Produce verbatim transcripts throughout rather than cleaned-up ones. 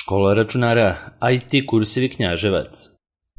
Škola računara, I T kursevi Knjaževac.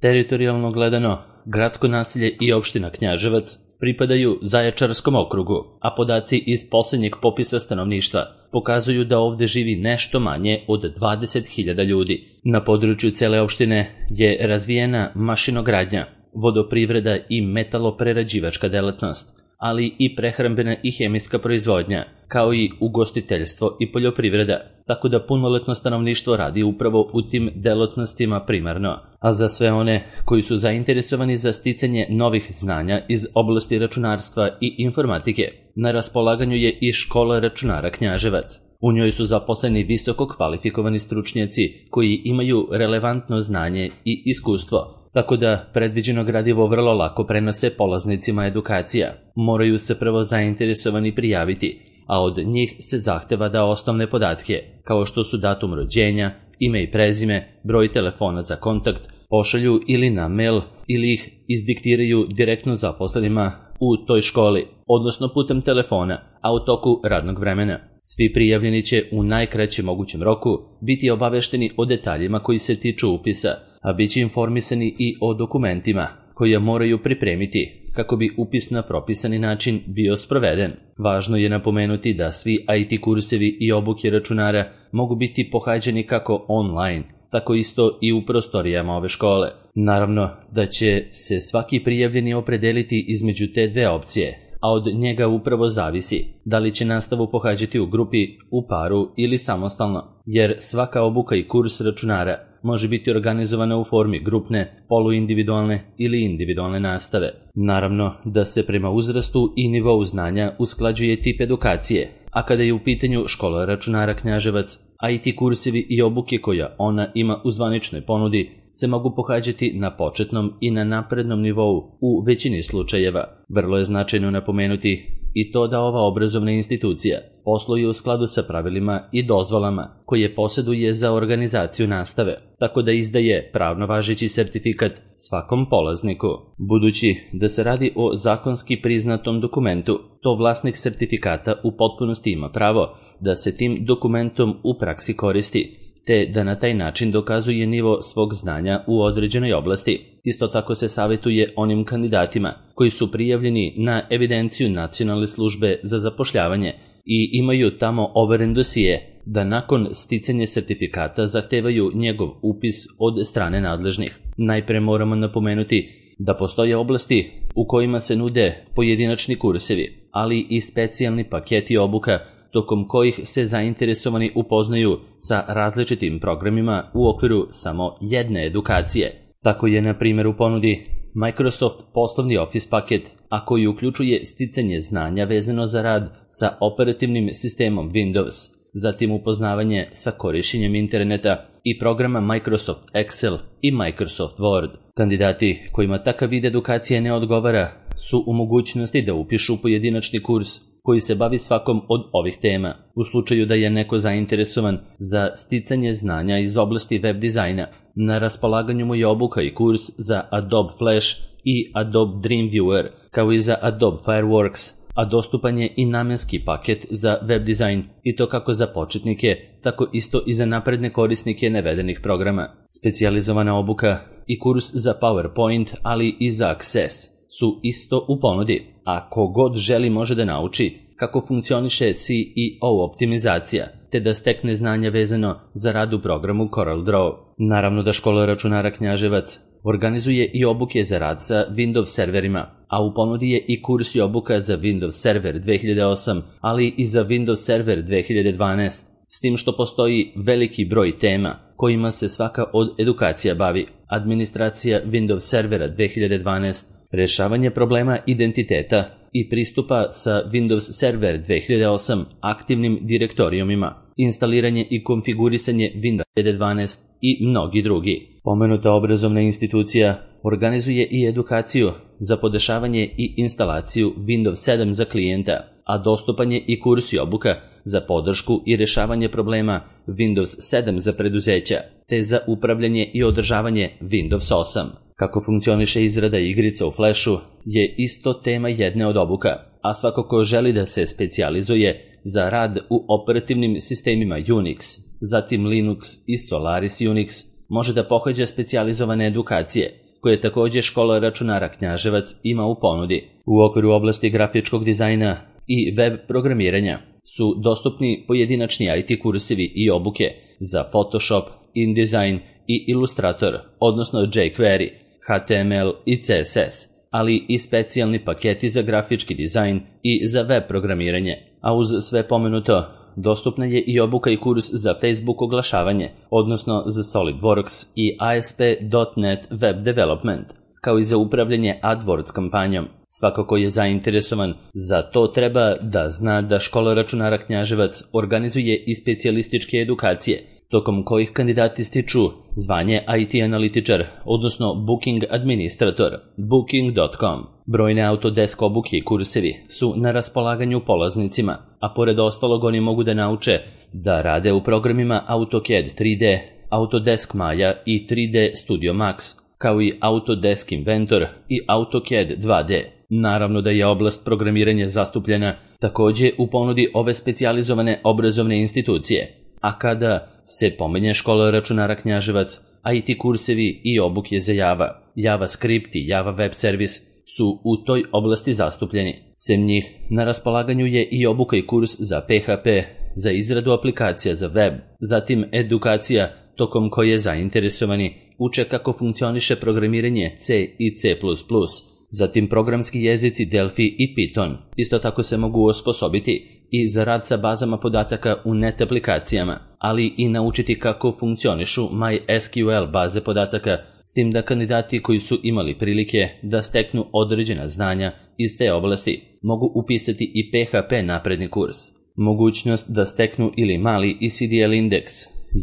Teritorijalno gledano, gradsko naselje i opština Knjaževac pripadaju Zaječarskom okrugu, a podaci iz poslednjeg popisa stanovništva pokazuju da ovde živi nešto manje od dvadeset hiljada ljudi. Na području cele opštine je razvijena mašinogradnja, vodoprivreda i metaloprerađivačka delatnost, ali i prehrambena i hemijska proizvodnja, kao i ugostiteljstvo i poljoprivreda, tako da punoletno stanovništvo radi upravo u tim delatnostima primarno. A za sve one koji su zainteresovani za sticanje novih znanja iz oblasti računarstva i informatike, na raspolaganju je i Škola računara Knjaževac. U njoj su zaposleni visoko kvalifikovani stručnjaci koji imaju relevantno znanje i iskustvo, tako da predviđeno gradivo vrlo lako prenose polaznicima edukacija. Moraju se prvo zainteresovani prijaviti, a od njih se zahteva da osnovne podatke, kao što su datum rođenja, ime i prezime, broj telefona za kontakt, pošalju ili na mail ili ih izdiktiraju direktno zaposlenima u toj školi, odnosno putem telefona, a u toku radnog vremena. Svi prijavljeni će u najkraćem mogućem roku biti obavešteni o detaljima koji se tiču upisa, a bit će informisani i o dokumentima koje moraju pripremiti kako bi upis na propisani način bio sproveden. Važno je napomenuti da svi I T kursevi i obuke računara mogu biti pohađani kako online, tako isto i u prostorijama ove škole. Naravno da će se svaki prijavljeni opredeliti između te dve opcije, a od njega upravo zavisi da li će nastavu pohađati u grupi, u paru ili samostalno, jer svaka obuka i kurs računara može biti organizovana u formi grupne, poluindividualne ili individualne nastave. Naravno da se prema uzrastu i nivou znanja usklađuje tip edukacije, a kada je u pitanju Škola računara Knjaževac, I T kursevi i obuke koja ona ima u zvaničnoj ponudi se mogu pohađati na početnom i na naprednom nivou u većini slučajeva. Vrlo je značajno napomenuti i to da ova obrazovna institucija posluje u skladu sa pravilima i dozvolama koje posjeduje za organizaciju nastave, tako da izdaje pravno važeći sertifikat svakom polazniku. Budući da se radi o zakonski priznatom dokumentu, to vlasnik sertifikata u potpunosti ima pravo da se tim dokumentom u praksi koristi, te da na taj način dokazuje nivo svog znanja u određenoj oblasti. Isto tako se savjetuje onim kandidatima koji su prijavljeni na evidenciju Nacionalne službe za zapošljavanje i imaju tamo overen dosije, da nakon sticanja sertifikata zahtevaju njegov upis od strane nadležnih. Najpre moramo napomenuti da postoje oblasti u kojima se nude pojedinačni kursevi, ali i specijalni paketi obuka tokom kojih se zainteresovani upoznaju sa različitim programima u okviru samo jedne edukacije. Tako je, na primjer, u ponudi Microsoft poslovni Office paket, a koji uključuje sticanje znanja vezano za rad sa operativnim sistemom Windows, zatim upoznavanje sa korišćenjem interneta i programa Microsoft Excel i Microsoft Word. Kandidati kojima takav vid edukacije ne odgovara su u mogućnosti da upišu pojedinačni kurs koji se bavi svakom od ovih tema. U slučaju da je neko zainteresovan za sticanje znanja iz oblasti web dizajna, na raspolaganju mu je obuka i kurs za Adobe Flash i Adobe Dreamweaver, kao i za Adobe Fireworks, a dostupan je i namenski paket za web dizajn, i to kako za početnike, tako isto i za napredne korisnike navedenih programa. Specijalizovana obuka i kurs za PowerPoint, ali i za Access su isto u ponudi, a ko god želi može da nauči kako funkcioniše C E O optimizacija, te da stekne znanja vezano za rad u programu CorelDRAW. Naravno da Škola računara Knjaževac organizuje i obuke za rad sa Windows serverima, a u ponudi je i kurs i obuka za Windows Server dve hiljade osam, ali i za Windows Server dve hiljade dvanaest, s tim što postoji veliki broj tema kojima se svaka od edukacija bavi: administracija Windows Servera dve hiljade dvanaest, rešavanje problema identiteta i pristupa sa Windows Server dve hiljade osam aktivnim direktorijumima, instaliranje i konfigurisanje Windows dve hiljade dvanaest i mnogi drugi. Pomenuta obrazovna institucija organizuje i edukaciju za podešavanje i instalaciju Windows sedam za klijenta, a dostupan je i kurs i obuka za podršku i rešavanje problema Windows sedam za preduzeća, te za upravljanje i održavanje Windows osam. Kako funkcioniše izrada igrica u Flashu je isto tema jedne od obuka. a svako ko želi da se specijalizuje za rad u operativnim sistemima Unix, zatim Linux i Solaris Unix, može da pohađa specijalizovane edukacije, koje također škola računara Knjaževac ima u ponudi. U okviru oblasti grafičkog dizajna i web programiranja su dostupni pojedinačni I T kursevi i obuke za Photoshop, InDesign i Illustrator, odnosno jQuery, H T M L i C S S, ali i specijalni paketi za grafički dizajn i za web programiranje. A uz sve pomenuto, dostupna je i obuka i kurs za Facebook oglašavanje, odnosno za SolidWorks i A S P dot net Web Development, kao i za upravljanje AdWords kampanjom. Svako ko je zainteresovan za to treba da zna da škola računara Knjaževac organizuje i specijalističke edukacije, tokom kojih kandidati stiču zvanje I T analitičar, odnosno Booking administrator, booking dot com. Brojne Autodesk obuke i kursevi su na raspolaganju polaznicima, a pored ostalog oni mogu da nauče da rade u programima AutoCAD tri D, Autodesk Maya i tri D Studio Max, kao i Autodesk Inventor i AutoCAD dva D. Naravno da je oblast programiranja zastupljena također u ponudi ove specijalizovane obrazovne institucije. A kada se pomenje škola računara Knjaževac, I T kursevi i obuke za Java, JavaScript i Java Web Service su u toj oblasti zastupljeni. Sem njih, na raspolaganju je i obuka i kurs za P H P, za izradu aplikacija za web, zatim edukacija tokom koje zainteresovani uče kako funkcioniše programiranje C i C plus plus, zatim programski jezici Delphi i Python. Isto tako se mogu osposobiti i za rad sa bazama podataka u net aplikacijama, ali i naučiti kako funkcionišu MySQL baze podataka, s tim da kandidati koji su imali prilike da steknu određena znanja iz te oblasti mogu upisati i P H P napredni kurs. Mogućnost da steknu ili mali E C D L indeks,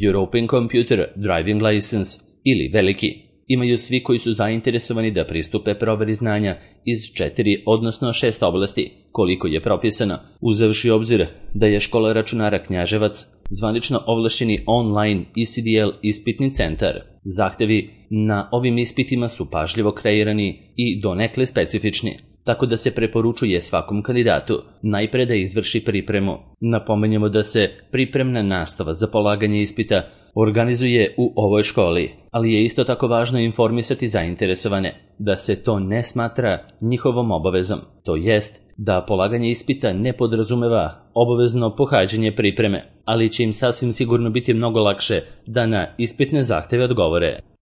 European Computer Driving License ili veliki imaju svi koji su zainteresovani da pristupe proveri znanja iz četiri, odnosno šest oblasti, koliko je propisano, uzevši obzir da je škola računara Knjaževac zvanično ovlašćeni online E C D L ispitni centar. Zahtevi na ovim ispitima su pažljivo kreirani i donekle specifični, tako da se preporučuje svakom kandidatu najpre da izvrši pripremu. Napomenjemo da se pripremna nastava za polaganje ispita organizuje u ovoj školi, ali je isto tako važno informisati zainteresovane da se to ne smatra njihovom obavezom, to jest da polaganje ispita ne podrazumeva obavezno pohađanje pripreme, ali će im sasvim sigurno biti mnogo lakše da na ispitne zahteve odgovore.